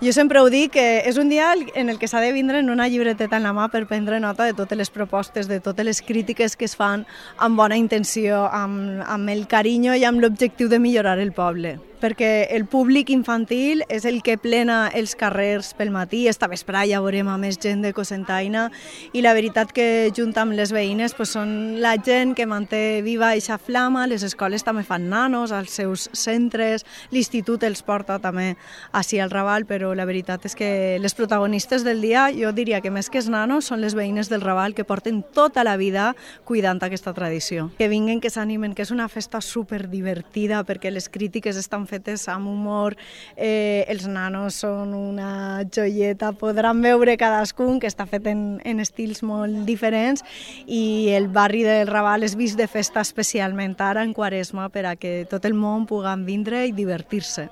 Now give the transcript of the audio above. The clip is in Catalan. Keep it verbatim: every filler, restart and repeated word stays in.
Jo sempre ho dic, que és un dia en el que s'ha de vindre en una llibreteta en la mà per prendre nota de totes les propostes, de totes les crítiques que es fan amb bona intenció, amb, amb el carinyo i amb l'objectiu de millorar el poble. Perquè el públic infantil és el que plena els carrers pel matí, esta vesprà ja veurem a més gent de Cocentaina, i la veritat que junt amb les veïnes pues, són la gent que manté viva eixa flama, les escoles també fan nanos als seus centres, l'institut els porta també així al Raval, però la veritat és que les protagonistes del dia, jo diria que més que els nanos, són les veïnes del Raval que porten tota la vida cuidant aquesta tradició. Que vinguen, que s'animen, que és una festa superdivertida perquè les crítiques estan fetes amb humor, eh, els nanos són una joieta, podran veure cadascun que està fet en, en estils molt diferents i el barri del Raval és vist de festa especialment ara en Quaresma per a que tot el món pugui vindre i divertir-se.